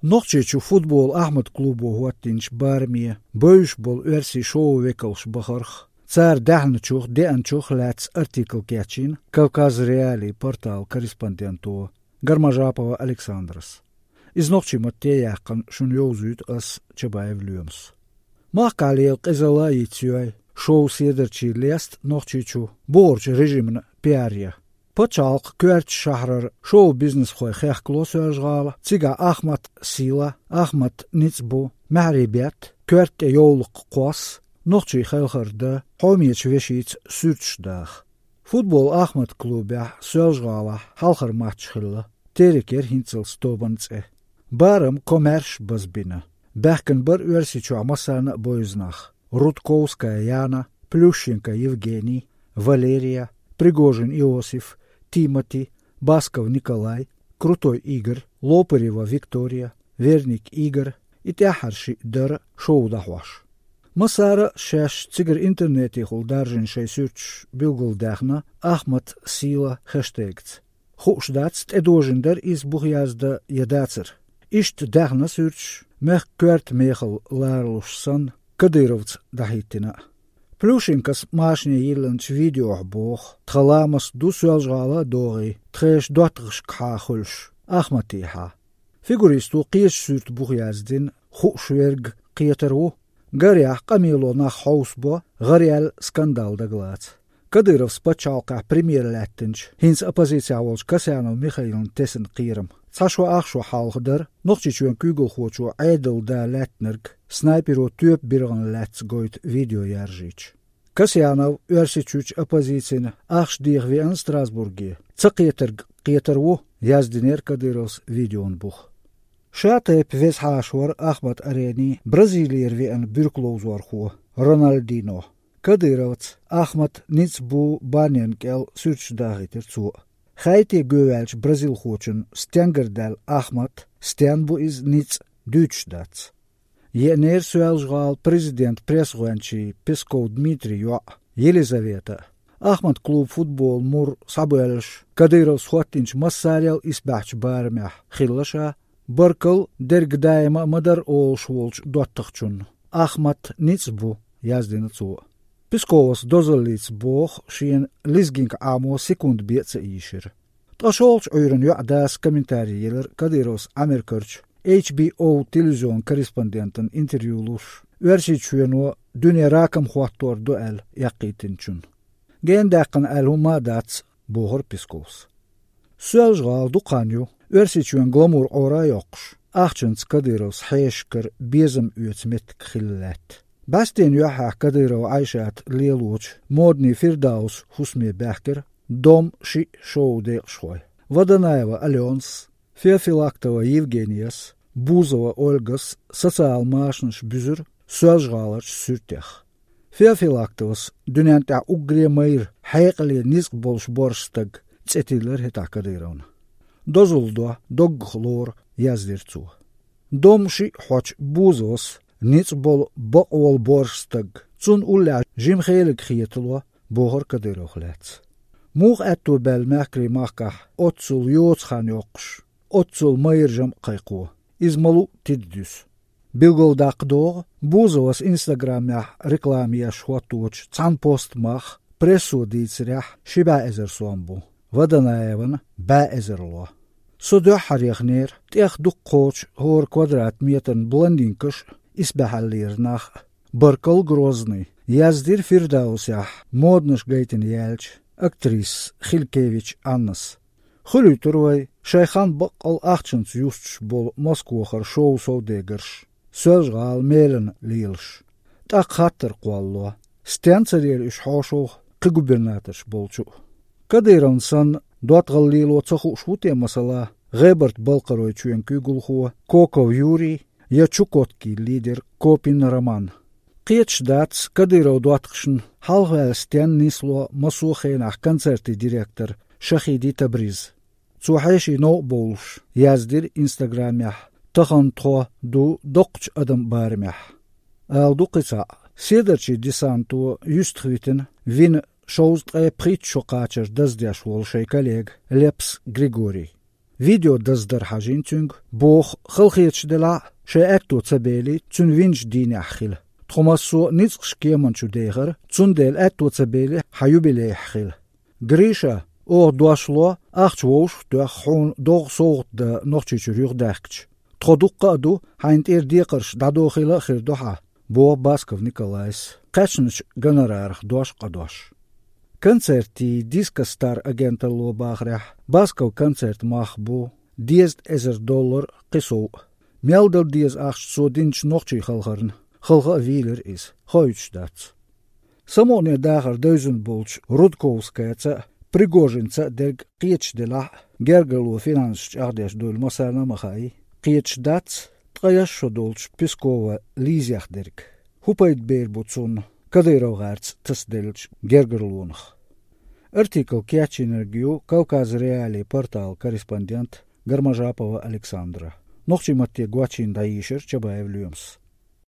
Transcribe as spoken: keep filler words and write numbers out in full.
Нохчийчу футбол Ахмат клубо хӀоттийначу бараме бевзаш болу оьрсийн шоу-векалш бахарх, цара даьхначух, деанчух лаьцна артикл кечйина Кавказ.Реалии порталан корреспонденто Гармажапова Александрас. Иза нохчийн матте а яьккхина шуна йовзуьйту ас, Чабаев Лоьмас. Махкахь лела къизалла а йицйой шоу-седарчий леста Нохчийчу бухарчу режимна пиар ян. Пачхьалкхан коьртачу шахьарара шоу-бизнесхой хехкало Соьлжа-ГӀала, цигахь Ахмат сийла, Ахмат ницкъ бу, маьхьарий бетта, коьрта тӀе йовлакх кхосса, нохчий хелхар дан, хьомечу вешица суьрташ даха. Футбол Ахмат клубехь Соьлжа-ГӀалахь хьалхара матч хилла, «Терек» яра хӀинццалц тобанан цӀе. Барам комаьрша базбина. Баьхкина бара Оьрсийчохь массарна а бевза нах: Рудковская Яна, Плющенко Евгений, Валерия, Пригожин Иосиф, Тимати, Басков Николай, Крутой Игорь, Лопырева Виктория, Верник Игорь, и тӀаьххьара шиъ дара шоу дӀахьош. Массара а шаьш цигара интернетехула даржийна шайн суьрташ билгалдаьхна Ахмат сийла хэштегца. Хууш дац, тӀедожийна дара иза бух яздан я дацара. Иштта даьхна суьрташ, мехкан коьрта мехалла ларалуш санна, Кадыровца дӀахӀиттина а. Плющенкос машане йиллинчу видеохь боху: «Тхан ламаст ду Соьлжа-ГӀала а догӀий, тхешан доттагӀашкахьа хуьлуш, Ахматехьа». Фигуристо кхечу суьрта бух яздина, хууш верг кхетар ву. Гарехь, къамело нах хьовсабо, гӀараяьлла скандал дагалаца. Кадыровс пачхьалкхехь премьер лаьттинчу, хӀинца оппозицехь волчу Касьянов Михаилна тесна кхерам. Цхьа шо ах шо хьалха дара Нохчийчоьнан куьйгалхочо Ӏедалан да лаьттинарг, снайперо тоьпан биргӀанна лаьцна гойту видео яржийча. Касьянов Оьрсийчуьрчу оппозицина ахча деха веана Страсбурге. Ца кхетарг кхетар ву, яздинера Кадыровс видеон бух. Ша тайпа веза хьаша вара Ахмат Арени Бразилера веана буьркаловзорхо Рональдино. Кадыровца Ахмат ницкъ бу баннерна кӀел суьрташ дахийтира цо. Хаьий те гоьваьллачу бразилхочун стенгара даьлла Ахмат, стенна бу иза ницкъ, дуьйцуш дац. Еанера Соьлжа-ГӀалан президентан пресс-гӀоьнчийн Песков Дмитрий йоӀ Елизавета а. Ахмат клуб футболан мур схьабоьллуш, Кадыровс хӀоттийначу массарел исбаьхьчу барамехь хилла ша. Баркалла, дерг даима а ма дара олуш волчу доттагӀчунна. Ахмат ницкъ бу, яздина цо. Песковас дозаллица боху шена лезгинг Ӏамо секунда бен а ца ийшира. Ткъа шолгӀачу Ӏуьйранна йоӀ дас комментарий елира Кадыровс Ӏамеркарчу H B O телевизионан корреспондентана интервью луш, Оьрсийчоьно дуьне ракам хӀоттор ду аьлла эккхийтинчунна. Гена даьккхина аьлла хӀума а дац, бохура Песковс. Соьлжа-ГӀала дукха хан ю Оьрсийчоьнан гламур Ӏора а йоккхуш, ахчанца Кадыровс хьешашкара безам оьцу меттиг хилла лаьтта. БӀаьстенан юьххьехь Кадырова Ӏайшат лелочу Модный Фирдаус хӀусаме баьхкира Дом шиъ шоу декъашхой. Водонаева Аленас, Феофилактова Евгениас, Бузова Ольгас социалан машанаш буьзура Соьлжа-ГӀаларчу суьртех. Феофилактовас дуьнен тӀехь уггаре а майра, хьекъале ницкъ болуш борша стаг цӀе тиллира хӀетахь Кадыровна. Дозалла до, доггах лору, яздира цо. Дом шиъ хьочу Бузовас ницкъ болу бакъволу борша стаг, цунна уллехь жима хелиг хетало, бохура Кадыровх лаьцна. Муха аьтто баьлла мехкарий махкахь оццул йоцу хан йоккхуш, оццул майра жамӀ кхайкхо, иза ма-луъу тида дуьсу. Билгалдаккха догӀу, Бузовас Инстаграмехь реклама еш хӀотточу цхьана пост мах, прессо дийцарехь, ши бӀе эзар сом бу, Водонаеван бӀе эзарло. Со дуьххьара яхнера, тӀех дукха кхочу хӀора квадрат метран блондинкаш а, исбаьхьаллера нах а. Баркалла, Грозный, яздира Фирдаусехь моднаш гайтина яьлча актрисас Хилькевич Аннас. Хуьлуьйтура вай шайн хан баккъал ахчанца юстуш болу Москвахара шоу-совдегарш, Соьлжа-ГӀала мелана лелаш. ТӀаккха хаттар кхоллало: стенна ца лела уьш хьошалгӀа кхин губернаторш болчу а? Кадыровна санна, доттагӀалла лело ца хууш ву те, масала, ГӀебарта-Балкхаройчоьнан куьйгалхо Коков Юрий я Чукоткин лидер Копин Роман? Кхеташ дац Кадыров доттагӀашна хьалхаваьлла стенна нисло массо а хенахь концертийн директор Шахиди Табриз. Цо хьеший новкъа бовлуш яздира Инстаграмехь: «Тахана тхо ду доккхачу адаман барамехь». Ала ду кхин цхьаъ: седарчийн десанто юьстах витина вина шовзткъе пхийтта шо кхачар даздеш волу шайн коллега Лепс Григорий. видео даздар хьажийна цуьнга, боху, халахеташ делахь а, шайн аьтто ца бели, цуьнан винчу дийнехь хила. Тхо массо а ницкъаш кеман чу дехара, цундела аьтто ца бели хьан юбилейхь хила. Гриша, оха дош ло, ахча вовшах а тоьхна, хьуна догӀу совгӀат дан Нохчийчуьра юхадаьхкича. Тхо дуккха а ду, хьайна тӀера декхарш дӀадохийла а хир ду хьан, боху Басков Николайс, кхаьчначу гонорарах дош къадош. Концертийн Дискостар агенталло бахарехь, Басков концерт мах бу дезткъа эзар доллар, кхин сов а. Мел дан деза ахча цо динчу нохчийн халхарна, халха а вийлира иза, хоуьйтуш дац. Самукъане дахар девзина болчу Рудковскаяца а, Пригожинца а дерг кхеташ делахь а, гергарло финансаш чӀагӀдеш дуйла массарна а ма хаьий. Кхеташ дац, ткъе исс шо долчу Пескован Лизех дерг. ХӀун пайда бер бу цунна Кадыров гӀарца тасаделлачу гергарлонах? Артикл кечйинарг ю Кавказ.Реалии порталан корреспондент Гармажапова Александра. Нохчийн матте гочйина дӀайийшира Чабаев Лоьмас.